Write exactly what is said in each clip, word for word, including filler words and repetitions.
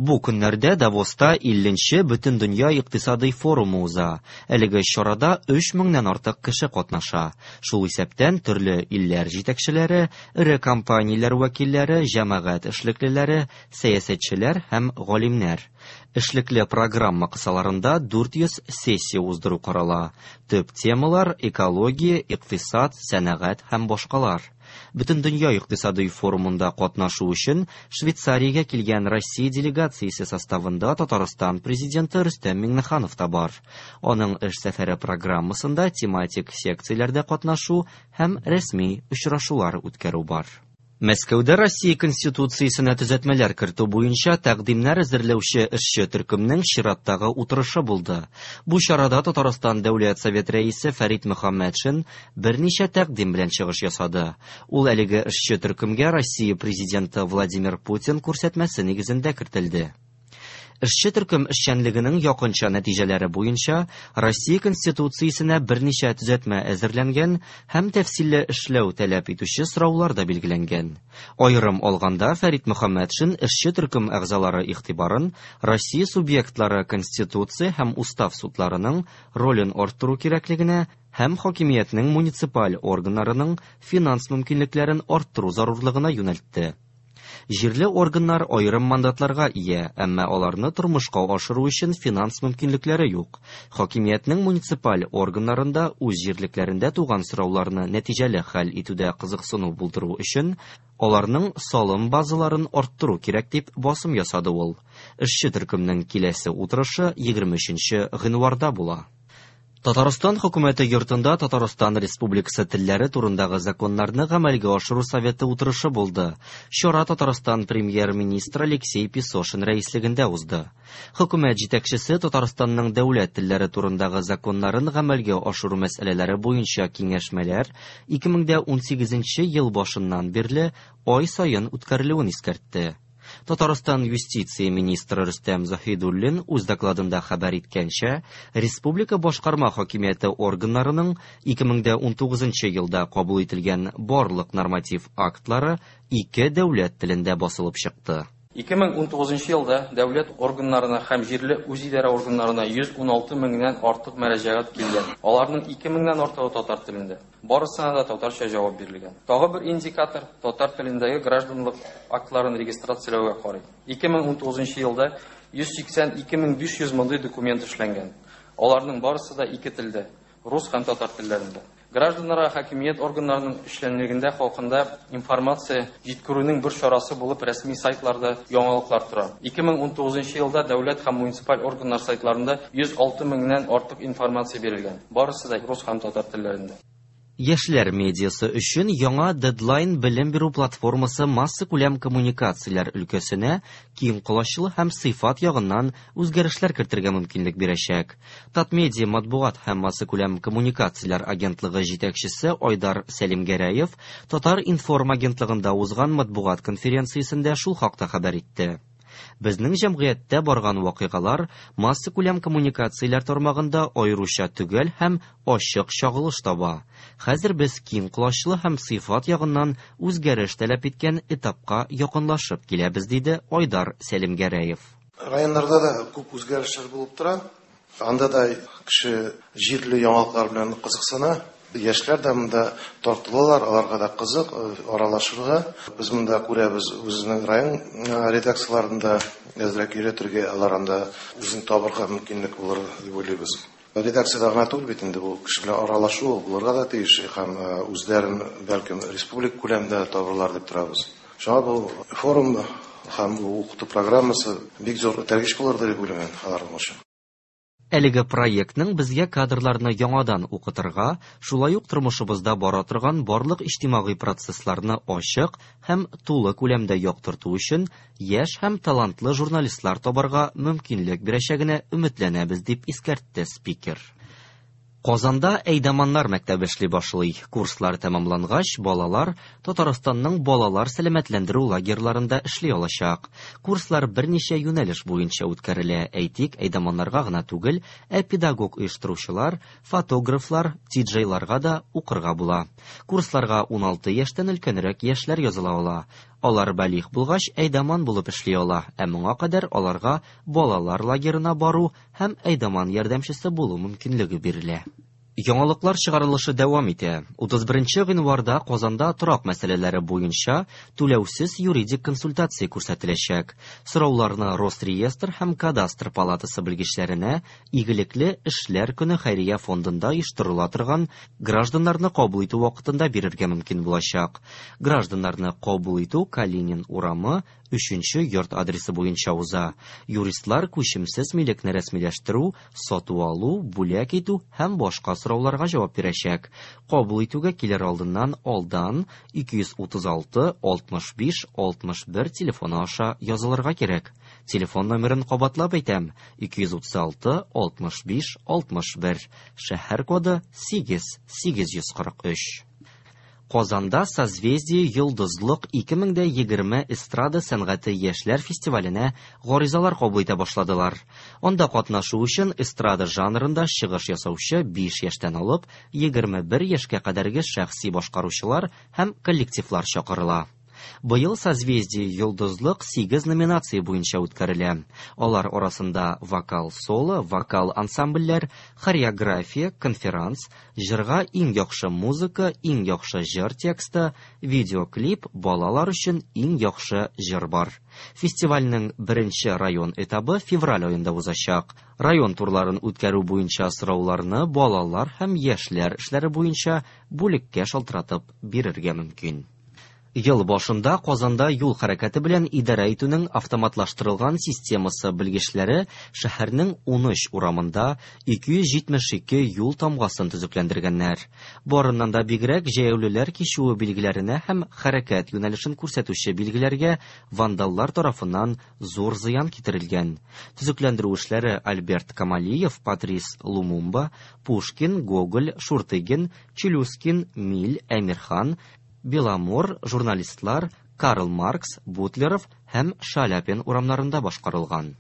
Бу көннәрдә Давоста илленче Бөтендөнья икътисадый форумы уза. Әлеге чарада өч меңнән артык кеше катнаша. Шул исәптән төрле илләр җитәкчеләре, эре компанияләр вәкилләре, җәмәгать эшлеклеләре, сәясәтчеләр һәм галимнәр. Эшлекле программа кысаларында дүрт йөз сессия уздыру карала. Төп темалар экология, икътисад, сәнәгать һәм башкалар. Бөтендөнья икътисадый форумында катнашу өчен Швейцариягә килгән Россия делегациясе составында Татарстан президенты Рөстәм Миңнеханов та бар. Аның эш сәфәре программасында тематик секцияләрдә катнашу һәм рәсми очрашулар үткәрү бар. Мәскәүдә Россия Конституциясенә төзәтмәләр кертү буенча тәкъдимнәр әзерләүче эшче төркемнең чираттагы утырышы булды. Бу чарада Татарстан Дәүләт Совет рәисе Фәрит Мөхәммәтшин берничә тәкъдим белән чыгыш ясады. Ул әлеге эшче төркемгә Россия президенты Владимир Путин күрсәтмәсе нигезендә кертелде. Эшче төркем эшчәнлегенең якынча нәтиҗәләре буенча Россия Конституциясенә берничә төзәтмә әзерләнгән һәм тәфсилле эшләү таләп итүче сораулар да билгеләнгән. Аерым алганда Фәрит Мөхәммәтшин эшче төркем әгъзалары игътибарын Россия субъектлары Конституция һәм устав судларының ролен арттыру кирәклегенә һәм хакимиятнең муниципаль органнарының финанс мөмкинлекләрен арттыру зарурлыгына юнәлтте. Җирле органнар аерым мандатларга ия, әмма аларны тормышка ашыру өчен финанс мөмкинлекләре юк. Хакимиятнең муниципаль органнарында үз җирлекләрендә туган сорауларны нәтиҗәле хәл итүдә кызыксыну булдыру өчен аларның салым базаларын арттыру кирәк дип басым ясады ул. Эшче төркемнең киләсе утырышы егерме өченче гыйнварда була. Татарстан хөкүмәте йортында Татарстан Республикасы телләре турындагы законнарны гамәлгә ашыру советы утырышы булды. Чара Татарстан премьер-министры Алексей Песошин рәислегендә узды. Хөкүмәт җитәкчесе Татарстанның дәүләт телләре турындагы законнарын гамәлгә ашыру мәсьәләләре буенча киңәшмәләр ике мең дә унсигезенче ел башыннан бирле ай саен үткәрелүен искәртте. Татарстан юстиция министры Рөстәм Заһидуллин үз докладында хәбәр иткәнчә, республика башкарма хакимияте органнарының ике мең дә унтугызынчы елда кабул ителгән барлык норматив актлары ике дәүләт телендә басылып чыкты. Ике мең унтугызынчы елда дәүләт органнарына һәм җирле үзидарә органнарына йөз уналты меңнән артык мөрәҗәгать килгән. Аларның ике меңнән артыгы татар телендә. Барысына да татарча җавап бирелгән. Тагы бер индикатор татар телендәге гражданлык актларын регистрацияләүгә карый. Ике мең унтугызынчы елда йөз сиксән ике мең биш йөз мондый документ эшләнгән. Аларның барысы да ике телдә, рус һәм татар телләрендә. Гражданнарга хакимият органнарының эшчәнлегендә халкында информация җиткерүнең бер чарасы булып рәсми сайтларда яңалыклар тора. Ике мең унтугызынчы елда дәүләт һәм муниципаль органнар сайтларында йөз алты меңнән артык информация бирелгән. Барысы да рус һәм татар телләрендә. Яшьләр медиасы өчен яңа Deadline белем бирү платформасы массакүләм коммуникацияләр өлкәсенә киң колачлы һәм сыйфат ягыннан үзгәрешләр кертергә мөмкинлек бирәчәк. Татмедиа матбугат һәм массакүләм коммуникацияләр агентлыгы җитәкчесе Айдар Сәлимгәрәев Татар-информ агентлыгында узган матбугат конференциясендә шул хакта хәбәр итте. Безнең җәмгыятьтә барган вакыйгалар массакүләм коммуникацияләр тармагында аеруча төгәл һәм ачык чагылыш таба. Хәзер без киң колачлы һәм сыйфат ягыннан үзгәреш таләп иткән этапка якынлашып киләбез, диде Айдар Сәлимгәрәев. Районнарда да күп үзгәрешләр булып тора. Анда да кеше җирле яңалыклар белән кызыксына. Яшьләр дә монда тартылалар, аларга да кызык аралашырга. Без монда күрәбез үзенең район редакцияләрендә әзрәк өйрәтергә, алар анда үзен табырга мөмкинлек булыр дип уйлыйбыз. Редакциядә гына түгел бит инде бу кеше белән аралашу булырга да тиеш һәм үзләрен бәлкем республика күләмендә табырлар дип торабыз. Шуңа бу форум һәм бу укыту программасы бик зур этәргеч булыр дип уйлыйм алар өчен. Әлеге проектның безгә кадрларны яңадан укытырга, шулай ук тормышыбызда бара торган барлык иҗтимагый процессларны ачык һәм тулы күләмдә яктырту өчен яшь һәм талантлы журналистлар табарга мөмкинлек бирәчәгенә өметләнәбез, дип искәртте спикер. Казанда әйдаманнар мәктәбе эшли башлый. Курслар тәмамлангач, балалар Татарстанның балалар сәламәтләндерү лагерьларында эшли алачак. Курслар берничә юнәлеш буенча үткәрелә. Әйтик, әйдаманнарга гына түгел, ә педагог оештыручылар, фотографлар, диджейларга да укырга була. Курсларга уналты яшьтән өлкәнрәк яшьләр языла ала. Алар балигъ булгач әйдаман булып эшли ала, ә моңа кадәр аларга балалар лагерына бару һәм әйдаман ярдәмчесе булу мөмкинлеге бирелә. Яңалыклар чыгарылышы дәвам итә. утыз беренче гыйнварда Казанда торак мәсьәләләре буенча түләүсез юридик консультация күрсәтеләчәк. Сорауларны Росреестр һәм Кадастр палатасы белгечләренә Игелекле эшләр көне хәйрия фондында оештырыла торган гражданнарны кабул итү вакытында бирергә мөмкин булачак. Гражданнарны кабул итү Калинин урамы өченче йорт адресы буенча уза. Юристлар күчемсез милекне рәсмиләштерү, сату алу, бүләк итү һәм башка сорауларга җавап бирәчәк. Кабул итүгә килер алдыннан алдан ике йөз утыз алты алтмыш биш алтмыш бер телефоны аша язылырга кирәк. Телефон номерын кабатлап әйтәм: ике йөз утыз алты алтмыш биш алтмыш бер. Шәһәр коды сигез сигез йөз кырык өч. Казанда Созвездие Йолдызлык ике мең дә егерме эстрада сәнгате яшьләр фестиваленә гаризалар кабул итә башладылар. Анда катнашу өчен эстрада жанрында чыгыш ясаучы биш яшьтән алып егерме бер яшькә кадәрге шәхси башкаручылар һәм коллективлар чакырыла. Быел Созвездие Йолдызлык сигез номинация буенча үткәрелә. Алар арасында вокал-соло, вокал ансамбльләр, хореография, конферанс, җырга иң яхшы музыка, иң яхшы җыр тексты, видеоклип, балалар өчен иң яхшы җыр бар. Фестивальнең беренче район этабы февраль аенда узачак. Район турларын үткәрү буенча сорауларны балалар һәм яшьләр эшләре буенча бүлеккә шалтыратып бирергә мөмкин. Ел башында Казанда юл хәрәкәте белән идарә итүнең автоматлаштырылган системасы белгечләре шәһәрнең унөч урамында ике йөз җитмеш ике юл тамгасын төзекләндергәннәр. Барыннан да бигрәк җәяүлеләр кичүе билгеләренә һәм хәрәкәт юнәлешен күрсәтүче билгеләргә вандаллар тарафыннан зур зыян китерелгән. Төзекләндерү эшләре Альберт Камалиев, Патрис Лумумба, Пушкин, Гоголь, Шуртыгин, Челюскин, Миль, Әмирхан, Беломор, журналистлар Карл Маркс, Бутлеров һәм Шаляпин урамнарында башкарылган.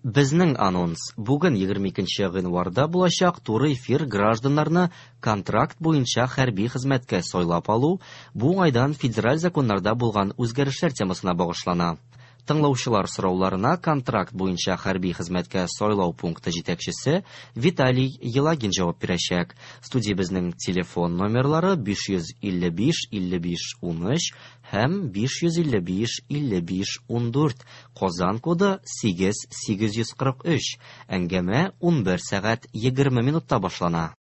Безнең анонс: бүген егерме икенче гыйнварда булачак туры эфир гражданнарны контракт буенча хәрби хезмәткә сайлап алу, бу уңайдан федераль законнарда булган үзгәрешләр темасына багышлана. Тыңлаучылар сорауларына контракт буенча хәрби хезмәткә сайлау пункты җитәкчесе Виталий Елагин җавап бирәчәк. Студиябезнең телефон номерлары биш йөз илле биш илле биш унөч һәм биш йөз илле биш илле биш ундүрт. Казан коды сигез сигез йөз кырык өч. Әңгәмә унбер сәгать егерме минутта башлана.